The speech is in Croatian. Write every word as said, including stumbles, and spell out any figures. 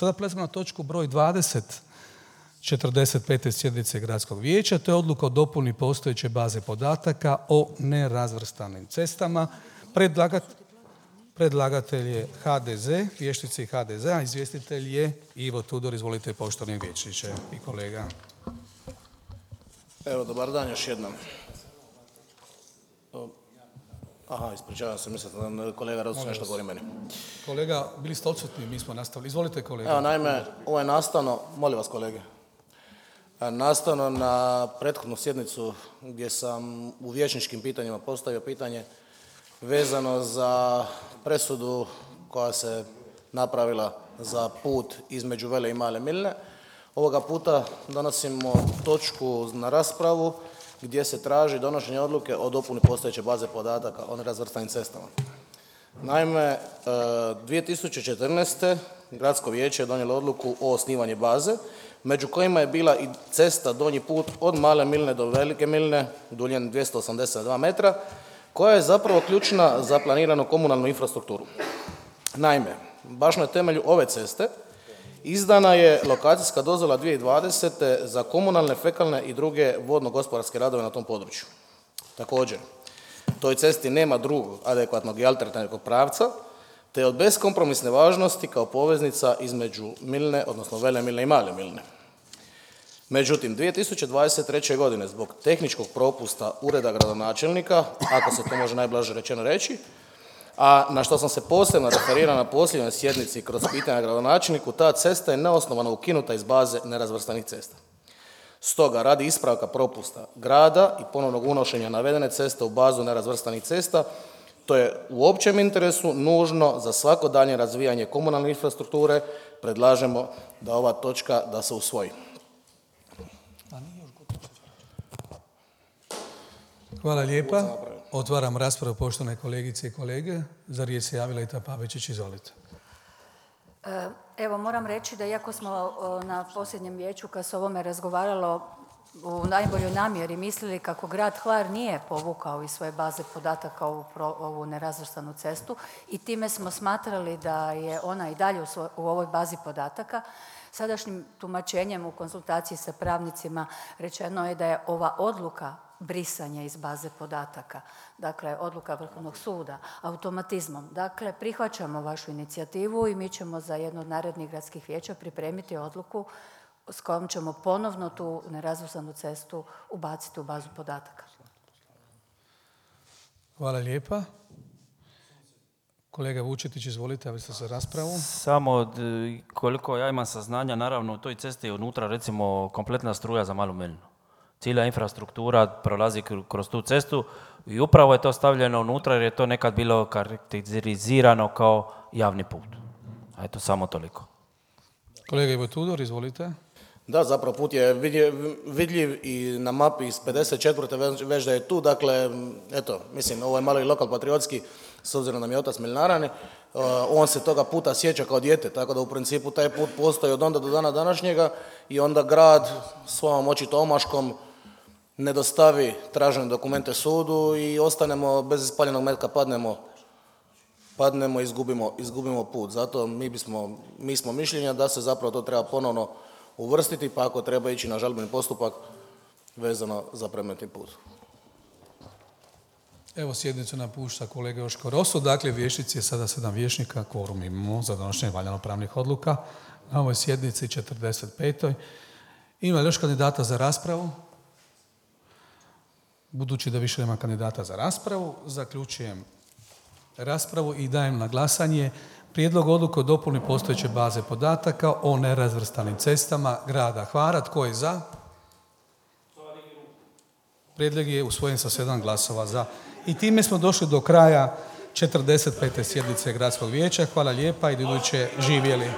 Sada prelazimo na točku broj dvadeset četrdeset pete sjednice Gradskog vijeća. To je odluka o dopuni postojeće baze podataka o nerazvrstanim cestama. Predlagat, predlagatelj je ha de ze, vijećnici ha de zea, izvjestitelj je Ivo Tudor. Izvolite, poštovani vijećniče i kolega. Evo, dobar dan još jednom. Aha, ispričavam se, mislim da kolega Rosu nešto govori meni. Kolega, bili ste odsutni, mi smo nastavili. Izvolite, kolega. Evo, naime, ovo je nastavno, molim vas kolege, nastavno na prethodnu sjednicu gdje sam u vijećničkim pitanjima postavio pitanje vezano za presudu koja se napravila za put između Vele i Male Milne. Ovoga puta donosimo točku na raspravu gdje se traži donošenje odluke o dopuni postojeće baze podataka o nerazvrstanim cestama. Naime, dvije tisuće četrnaeste. Gradsko vijeće je donijelo odluku o osnivanju baze, među kojima je bila i cesta Donji put od Male Milne do Velike Milne, duljine dvjesto osamdeset dva metra, koja je zapravo ključna za planiranu komunalnu infrastrukturu. Naime, baš na temelju ove ceste izdana je lokacijska dozvola dvije tisuće dvadesete. za komunalne, fekalne i druge vodno-gospodarske radove na tom području. Također, toj cesti nema drugog adekvatnog i alternativnog pravca, te je od beskompromisne važnosti kao poveznica između Milne, odnosno Vele Milne i Male Milne. Međutim, dvije tisuće dvadeset treće. godine zbog tehničkog propusta ureda gradonačelnika, ako se to može najblaže rečeno reći, a na što sam se posebno referirao na posljednjoj sjednici kroz pitanja gradonačelniku, ta cesta je neosnovano ukinuta iz baze nerazvrstanih cesta. Stoga, radi ispravka propusta grada i ponovnog unošenja navedene ceste u bazu nerazvrstanih cesta, to je u općem interesu nužno za svako daljnje razvijanje komunalne infrastrukture, predlažemo da ova točka da se usvoji. Hvala lijepa. Otvaram raspravu, poštovane kolegice i kolege. Za riječ se javila Ita Pavičić, izvolite. Evo, moram reći da iako smo na posljednjem vijeću kad se o ovome razgovaralo u najboljoj namjeri mislili kako grad Hvar nije povukao iz svoje baze podataka ovu, ovu nerazvrstanu cestu i time smo smatrali da je ona i dalje u, svoj, u ovoj bazi podataka, sadašnjim tumačenjem u konsultaciji sa pravnicima rečeno je da je ova odluka brisanja iz baze podataka, dakle odluka Vrhovnog suda, automatizmom. Dakle, prihvaćamo vašu inicijativu i mi ćemo za jedno od narednih gradskih vijeća pripremiti odluku s kojom ćemo ponovno tu nerazvrstanu cestu ubaciti u bazu podataka. Hvala lijepa. Kolega Vučetić, izvolite, javite se za raspravu. Samo od, koliko ja imam saznanja, naravno u toj cesti je unutra recimo kompletna struja za Malu Milnu. Cijela infrastruktura prolazi kroz tu cestu i upravo je to stavljeno unutra jer je to nekad bilo karakterizirano kao javni put. A eto, samo toliko. Kolega Ivo Tudor, izvolite. Da, zapravo put je vidljiv i na mapi iz pedeset četvrte već da je tu, dakle, eto, mislim, ovo je malo i lokal patriotski, s obzirom da mi je otac Milnarani, on se toga puta sjeća kao dijete, tako da u principu taj put postoji od onda do dana današnjega i onda grad svojom očito omaškom ne dostavi tražene dokumente sudu i ostanemo bez ispaljenog metka, padnemo, padnemo i izgubimo, izgubimo put. Zato mi, bismo, mi smo mišljenja da se zapravo to treba ponovno uvrstiti, pa ako treba ići na žalbeni postupak vezano za predmetni put. Evo, sjednicu napušta kolega Joško Roso. Dakle, vijećnici je sada sedam vijećnika, kvorum imamo za donošenje valjano pravnih odluka na ovoj sjednici četrdeset petoj. Ima li još kandidata za raspravu? Budući da više nema kandidata za raspravu, zaključujem raspravu i dajem na glasanje prijedlog odluke o dopuni postojeće baze podataka o nerazvrstanim cestama grada Hvara. Tko je za? Prijedlog je usvojen sa sedam glasova za. I time smo došli do kraja četrdeset pete sjednice Gradskog vijeća. Hvala lijepa i do iduće živjeli.